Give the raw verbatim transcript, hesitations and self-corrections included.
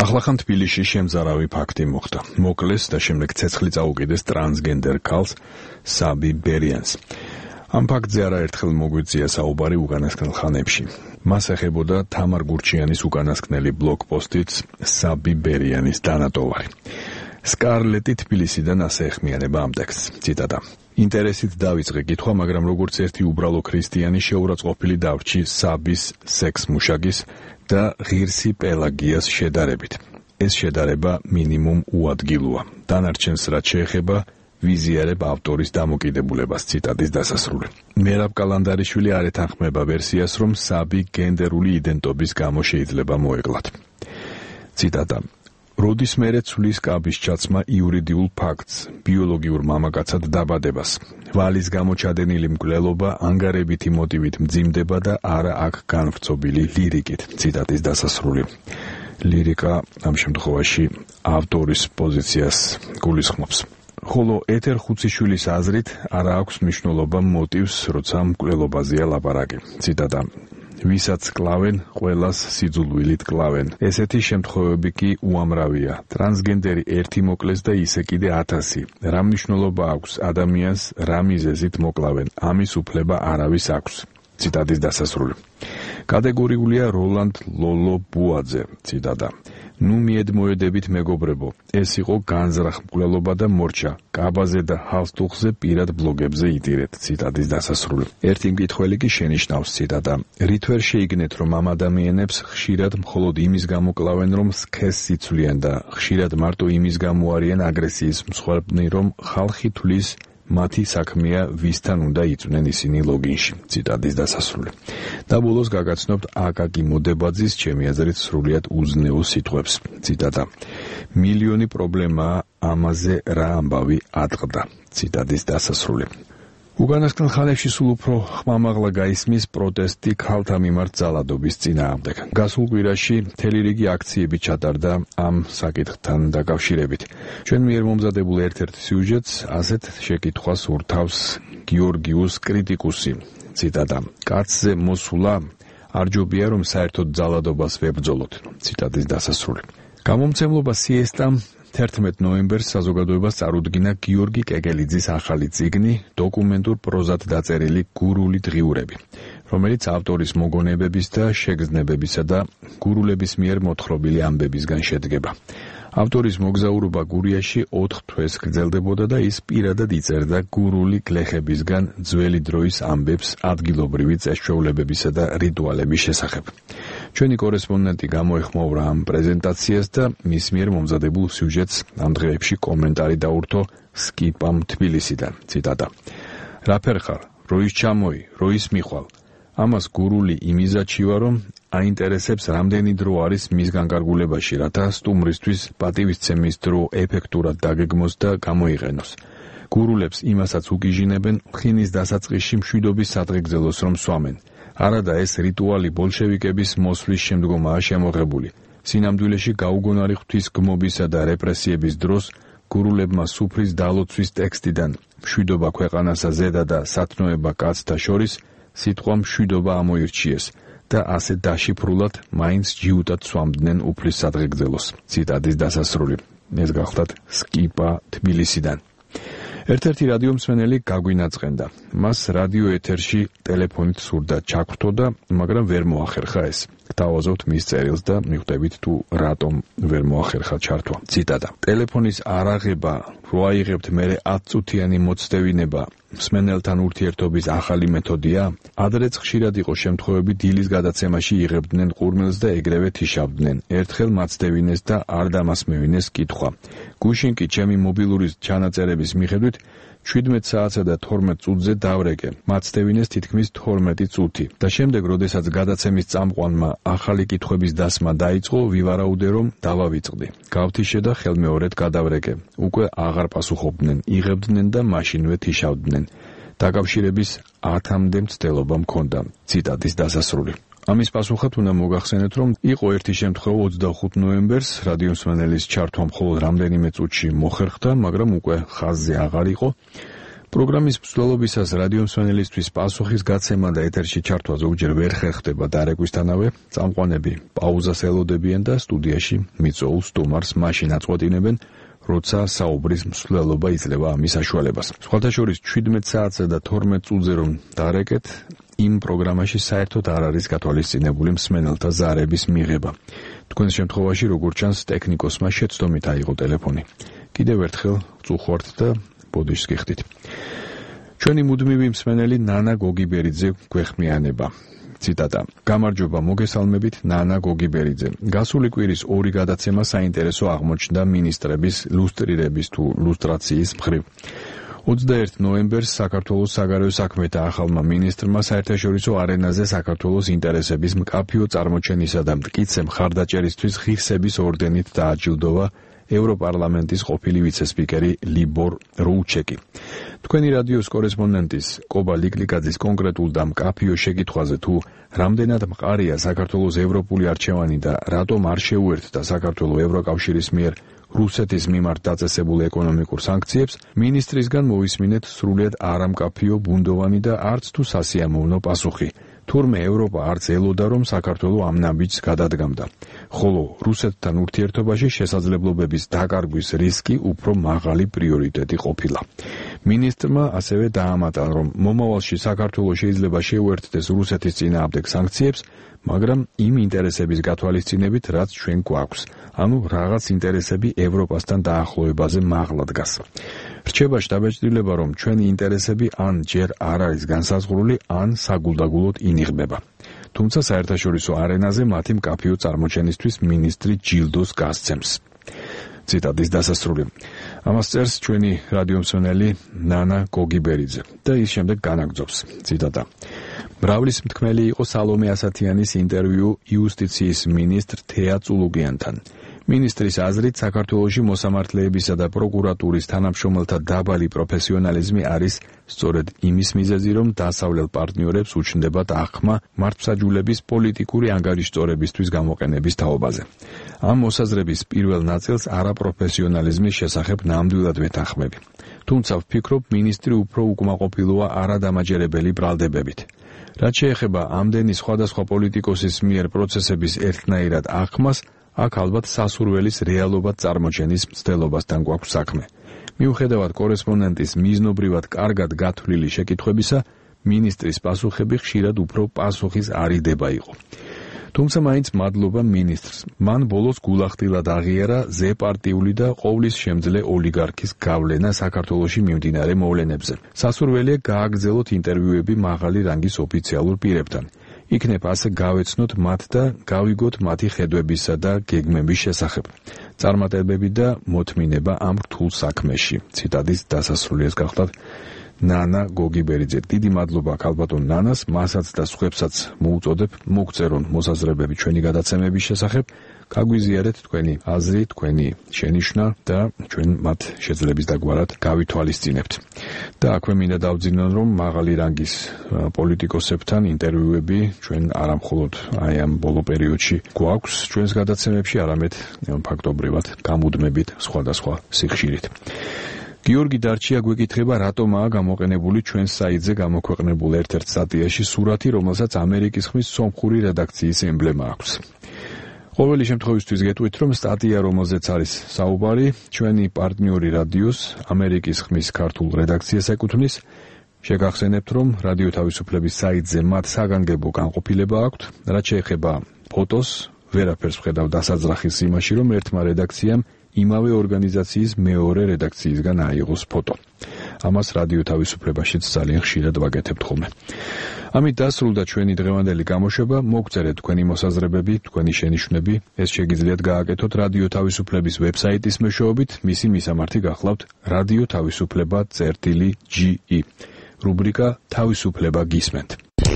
ახლახან თბილისში შემზარავი ფაქტი მოხდა. მოკლეს და შემდეგ ცეცხლი წაუკიდეს ტრანსგენდერ ქალს საბი ბერიანს. ამ ფაქტზე არაერთხელ მოგვიწია საუბარი უკანასკნელ ხანებში. მას ეხებოდა თამარ გურჩიანის უკანასკნელი ბლოგპოსტიც საბი ბერიანის დანატოვარი. სკარლეტი თბილისიდან ასე ეხმიანება ამ ტექსტს. ციტატა. ინტერესით დავიწყე კითხვა, მაგრამ როგორც ერთი უბრალო ქრისტიანი შეურაცხყოფილი დავრჩი საბის სექს-მუშაკის და ღირსი პელაგიას შედარებით. ეს შედარება მინიმუმ უადგილოა. დანარჩენს რაც შეეხება ვიზიარებ ავტორის დამოკიდებულებას. ციტატის დასასრული. მერაბ კალანდარიშვილი არ ეთანხმება ვერსიას, რომ საბი გენდერული იდენტობის გამო შეიძლება მოეკლათ. ციტატა. როდის მერე ცვლის კაბის ჩაცმა იურიდიულ ფაქტს, ბიოლოგიურ მამაკაცად დაბადებას. ვალის გამო ჩადენილი მკვლელობა ანგარებითი მოტივით მძიმდება და არა აქ განვრცობილი ლირიკით. ციტატის დასასრული. ლირიკა ამ შემთხვევაში ავტორის პოზიციას გულისხმობს. ხოლო ეთერ ხუციშვილის აზრით არა აქვს მნიშვნელობა მოტივს, როცა მკვლელობაზეა ლაპარაკი. ციტატა. ვისაც კლავენ, ყველას სიძულვილით კლავენ. ესეთი შემთხვევები კი უამრავია. ტრანსგენდერი ერთი მოკლეს და ისე კიდე ათასი. რა მნიშვნელობა აქვს ადამიანს, რა მიზეზით მოკლავენ? ამის უფლება არავის აქვს. ციტატის დასასრული. კატეგორიულია როლანდ ლოლო ბუაძე. ციტატა. ნუ მიედმოედებით მეგობრებო, ეს იყო განზრახ მკვლელობა და მორჩა. კაბაზე და ჰალსტუხზე პირად ბლოგებზე იტირეთ. ციტატის დასასრული. ერთი მკითხველი კი შენიშნავს. ციტატა. რით ვერ შეიგნეთ, რომ ამ ადამიანებს ხშირად მხოლოდ იმის გამო კლავენ, რომ სქესს იცვლიან და ხშირად მარტო იმის გამო არიან აგრესიის მსხვერპლნი, რომ ხალხი თვლის მათი საქმეა ვისთან უნდა იწვნენ ისინი ლოგინში. ციტატის დასასრული. და ბოლოს გაგაცნობთ აკაკი მოდებაძის ჩემი აზრით სრულიად უზნეო სიტყვებს. ციტატა. მილიონი პრობლემაა, ამაზე რა ამბავი ატყდა. ციტატის დასასრული. უკანასკნელ ხანებში სულ უფრო ხმამაღლა გაისმის პროტესტი ქალთა მიმართ ძალადობის წინააღმდეგ. გასულ კვირაში მთელი რიგი აქციები ჩატარდა ამ საკითხთან დაკავშირებით. ჩვენ მიერ მომზადებულ ერთ-ერთ სიუჟეტს ასეთ შეკითხვას ურთავს გიორგიუს კრიტიკუსი. ციტატა. კაცზე მოსულა არ ჯობია რომ საერთოდ ძალადობას ვებრძოლოთ. ციტატის დასასრული. გამომცემლობა სიესტა თერთმეტ ნოემბერს საზოგადოებას წარუდგინა გიორგი კეკელიძის ახალი წიგნი დოკუმენტურ პროზად დაწერილი გურული დღიურები, რომელიც ავტორის მოგონებების და შეგრძნებებისა და გურულების მიერ მოთხრობილი ამბებისგან შედგება. ავტორის მოგზაურობა გურიაში ოთხ თვეს გრძელდებოდა და ის პირადად იწერდა გურული გლეხებისგან ძველი დროის ამბებს ადგილობრივი წესჩვეულებებისა და რიტუალების შესახებ. ჩვენი კორესპონდენტი გამოეხმაურა ამ პრეზენტაციას და მის მიერ მომზადებულ სიუჟეტს ამ დღეებში კომენტარი დაურთო სკიპამ თბილისიდან. ციტატა. რა ფერხარ, როის ჩამოი, როის მიხვალ. ამას გურული იმიზაჩივა, რომ აინტერესებს რამდენი დრო არის მის განკარგულებაში, რათა სტუმრისთვის პატივისცემის დრო ეფექტურად დაგეგმოს და გამოიყენოს. გურულებს იმასაც უკიჟინებენ, ხინის დასაწყისში მშვიდობის სადღეგრძელოს რომ სვამენ. არადა ეს რიტუალი ბოლშევიკების მოსვლის შემდგომაა შემოღებული. სინამდვილეში გაუგონარი ღვთისგმობისა და რეპრესიების დროს გურულებმა სუფრის დალოცვის ტექსტიდან მშვიდობა ქვეყანასა ზედა და სათნოება კაცთა შორის სიტყვა მშვიდობა ამოირჩიეს და ასე დაშიფრულად მაინც ჯიუტად სვამდნენ უფლის სადღეგრძელოს. ციტატის დასასრული. ეს გახლდათ სკიპა თბილისიდან. ერთ-ერთი რადიო მსმენელი გაგვინაწყენდა. მას რადიო ეთერში ტელეფონით სურდა ჩაგვრთო და მაგრამ ვერ მოახერხა ეს. გთავაზობთ მის წერილს და მიხვდებით თუ რატომ ვერ მოახერხა ჩართვა. ციტატა. ტელეფონის არაღება რო აიღებთ მერე ათწუთიანი მოცდევინება მსმენელთან ურთიერთობის ახალი მეთოდია? ადრეც ხშირად იყო შემთხვევები დილის გადაცემაში იღებდნენ ყურმელს და ეგრევე თიშავდნენ. ერთხელ მაცდევინეს და არ დამასმევინეს კითხვა. გუშინ კი ჩემი მობილურის ჩანაწერების მიხედვით შვიდმეტ საათსა და თორმეტ წუთზე დავრეკე. მაცდევინეს თითქმის თორმეტი წუთი. და შემდეგ, როდესაც გადაცემის წამყვანმა ახალი კითხვების დასმა დაიწყო, ვივარაუდე რომ დავავიწყდი. გავთიშე და ხელმეორედ გადავრეკე. უკვე აღარ პასუხობდნენ, იღებდნენ და მაშინვე თიშავდნენ. დაკავშირების ათამდე მცდელობა მქონდა. ციტატის დასასრული. ამის პასუხად უნდა მოგახსენეთ, რომ იყო ერთი შემთხვევა ოცდახუთ ნოემბერს რადიო მსმენელის ჩართვა მხოლოდ რამდენიმე წუთში მოხერხდა, მაგრამ უკვე ხაზზე აღარ იყო. პროგრამის მსვლელობისას რადიო მსმენელისთვის პასუხის გაცემა და ეთერში ჩართვა ზოგჯერ ვერ ხერხდება დარეკვისთანავე, წამყვანები პაუზას ელოდებიან და სტუდიაში მიწოულ სტუმარს მაშინ აწყვეტინებენ, როცა საუბრის მსვლელობა იძლევა ამის საშუალებას. სხვათა შორის ჩვიდმეტ საათზე და თორმეტ წუთზე რომ დარეკეთ, იმ პროგრამაში საერთოდ არ არის გათვალისწინებული მსმენელთა ზარების მიღება. თქვენს შემთხვევაში, როგორც ჩანს, ტექნიკოსმა შეცდომით აიღო ტელეფონი. კიდევ ერთხელ წუხვართ და ბოდიშს გიხდით. ჩვენი მუდმივი მსმენელი ნანა გოგიბერიძე გვეხმიანება. ციტატა: გამარჯობა, მოგესალმებით ნანა გოგიბერიძე. გასული კვირის ორი გადაცემა საინტერესო აღმოჩნდა მინისტრების ლუსტრირების თუ ლუსტრაციის მხრივ. ოცდაერთი ნოემბერს საქართველოს საგარეო საქმეთა ახალმა მინისტრმა საერთაშორისო არენაზე საქართველოს ინტერესების მკაფიო წარმოჩენისა და მტკიცე მხარდაჭერისთვის ღირსების ორდენით დააჯილდოვა ევროპარლამენტის ყოფილი ვიცე-სპიკერი ლიბორ როუჩეკი. თქვენი რადიოს კორესპონდენტის კობა ლიკლიკაძის კონკრეტულ და მკაფიო შეკითხვაზე თუ რამდენად მყარია საქართველოს ევროპული არჩევანი და რატომ არ შეუერთდა საქართველოს ევროკავშირის მიერ რუსეთის მიმართ დაწესებულ ეკონომიკურ სანქციებს, მინისტრისგან მოვისმინეთ სრულიად არამკაფიო, ბუნდოვანი და არც თუ სასიამოვნო პასუხი. თურმე ევროპა არც ელოდა, რომ საქართველო ამ ნაბიჯს გადადგამდა, ხოლო რუსეთთან ურთიერთობაში შესაძლებლობების დაკარგვის რისკი უფრო მაღალი პრიორიტეტი ყოფილა. მინისტრმა ასევე დაამატა, რომ მომავალში საქართველო შეიძლება შეუერთდეს რუსეთის წინააღმდეგ სანქციებს, მაგრამ იმ ინტერესების გათვალისწინებით, რაც ჩვენ გვაქვს, ანუ რაღაც ინტერესები ევროპასთან დაახლოებაზე მაღლა დგას. რჩება შთაბეჭდილება, რომ ჩვენი ინტერესები ან ჯერ არ არის განსაზღვრული, ან საგულდაგულოდ ინიღბება. თუმცა საერთაშორისო არენაზე მათი მკაფიო წარმოჩენისთვის მინისტრი ჯილდოს გასცემს. ციტატის დასასრული. ამას წერს ჩვენი რადიო მსმენელი ნანა გოგიბერიძე და ის შემდეგ განაგრძობს. ციტატა: მრავლის მთქმელი იყო სალომე ასათიანის ინტერვიუ იუსტიციის მინისტრ თეა წულუგიანთან. მინისტრის აზრით, საქართველოში მოსამართლეებისა და პროკურატურის თანამშრომელთა დაბალი პროფესიონალიზმი არის სწორედ იმის მიზეზი, რომ დასავლელ პარტნიორებს უჩნდებათ აღქმა მართლმსაჯულების პოლიტიკური ანგარიშწორებისთვის გამოყენების თაობაზე. ამ მოსაზრების პირველ ნაწილს არაპროფესიონალიზმის შესახებ ნამდვილად ვეთანხმები. თუმცა ვფიქრობ, მინისტრი უფრო უკმაყოფილოა არადამაჯერებელი ბრალდებებით. რაც შეეხება ამდენი სხვადასხვა პოლიტიკოსის მიერ პროცესების ერთნაირად აღქმას, აქ ალბათ სასურველის რეალობად წარმოჩენის მცდელობასთან გვაქვს საქმე. მიუხედავად კორესპონდენტის მიზნობრივად კარგად გათვლილი შეკითხვებისა, მინისტრის პასუხები ხშირად უფრო პასუხის არიდება იყო. თუმცა მაინც მადლობა მინისტრს. მან ბოლოს გულახდილად აღიარა ზეპარტიული და ყოვლის შემძლე ოლიგარქის გავლენა საქართველოში მიმდინარე მოვლენებზე. სასურველია გააგრძელოთ ინტერვიუები მაღალი რანგის ოფიციალურ პირებთან. იქნებ ასე გავეცნოთ მათ და გავიგოთ მათი ხედვებისა და გეგმების შესახებ. წარმატებები და მოთმინება ამ რთულ საქმეში. ციტატის დასასრულიას გახლავთ ნანა გოგიბერიძე. დიდი მადლობა ქალბატონ ნანას, მასაც და სხვებსაც მოუწოდებ მოგწერონ მოსაზრებები ჩვენი გადაცემების შესახებ, გაგვიზიარეთ თქვენი აზრი, თქვენი შენიშვნა და ჩვენ მათ შეძლების დაგვარად გავითვალისწინებთ. და აქვე მინდა დავძინონ, რომ მაღალი რანგის პოლიტიკოსებთან ინტერვიუები ჩვენ არამხოლოდ აი ამ ბოლო პერიოდში გვაქვს ჩვენს გადაცემებში, არამედ ფაქტობრივად გამუდმებით სხვადასხვა სიხშირით. გიორგი დარჩია გვეკითხება, რატომაა გამოყენებული ჩვენს საიტზე გამოქვეყნებულ ერთ-ერთ სტატიაში სურათი, რომელსაც ამერიკის ხმის სომხური რედაქციის ემბლემა აქვს. ყოველი შემთხვევისთვის გეტყვით, რომ სტატია, რომელზეც არის საუბარი, ჩვენი პარტნიორი რადიოს ამერიკის ხმის ქართულ რედაქციას ეკუთვნის. შეგახსენებთ, რომ რადიო თავისუფლების საიტზე მათ საგანგებო განყოფილება აქვთ, რაც შეეხება ფოტოს, ვერაფერს ვხედავ დასაძრახის იმაში, რომ ერთმა რედაქციამ იმავე ორგანიზაციის მეორე რედაქციისგან აიღოს ფოტო. ამას რადიო თავისუფლებაშიც ძალიან ხშირად ვაკეთებთ ხოლმე. ამით დასრულდა ჩვენი დღევანდელი გამოშვება. მოგწერეთ თქვენი მოსაზრებები, თქვენი შენიშვნები. ეს შეგიძლიათ გააკეთოთ რადიო თავისუფლების ვებსაიტის მეშვეობით. მისი მისამართი გახლავთ რადიო თავისუფლება წერტილი ჯი ი. რუბრიკა თავისუფლება გისმენთ.